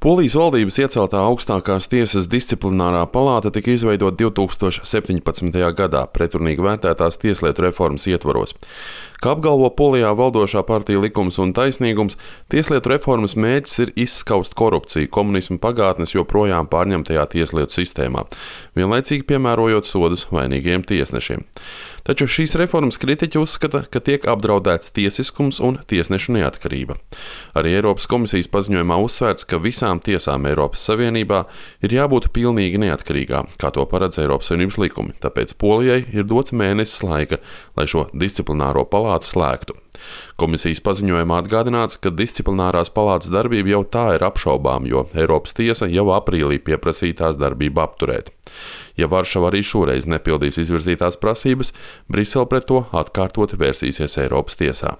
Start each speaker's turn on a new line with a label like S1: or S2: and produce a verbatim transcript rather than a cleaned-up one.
S1: Polijas valdības ieceltā augstākās tiesas disciplinārā palāta tika izveidota divi tūkstoši septiņpadsmitajā gadā pretrunīgi vērtētās tieslietu reformas ietvaros. Kā apgalvo Polijā valdošā partija Likums un taisnīgums, tieslietu reformas mērķis ir izskaust korupciju komunisma pagātnes joprojām pārņemtajā tieslietu sistēmā, vienlaicīgi piemērojot sodus vainīgiem tiesnešiem. Taču šīs reformas kritiķi uzskata, ka tiek apdraudēts tiesiskums un tiesnešu neatkarība. Arī Eiropas komisijas paziņojumā uzsvērts, ka visām tiesām Eiropas Savienībā ir jābūt pilnīgi neatkarīgām, kā to paredz Eiropas Savienības likumi, tāpēc Polijai ir dots mēnesis laika, lai šo disciplināro palātu slēgtu. Komisijas paziņojumā atgādināts, ka disciplinārās palātas darbība jau tā ir apšaubām, jo Eiropas tiesa jau aprīlī pieprasīja tās darbību apturēt. Ja Varšava arī šoreiz nepildīs izvirzītās prasības, Brisele pret to atkārtoti vērsīsies Eiropas tiesā.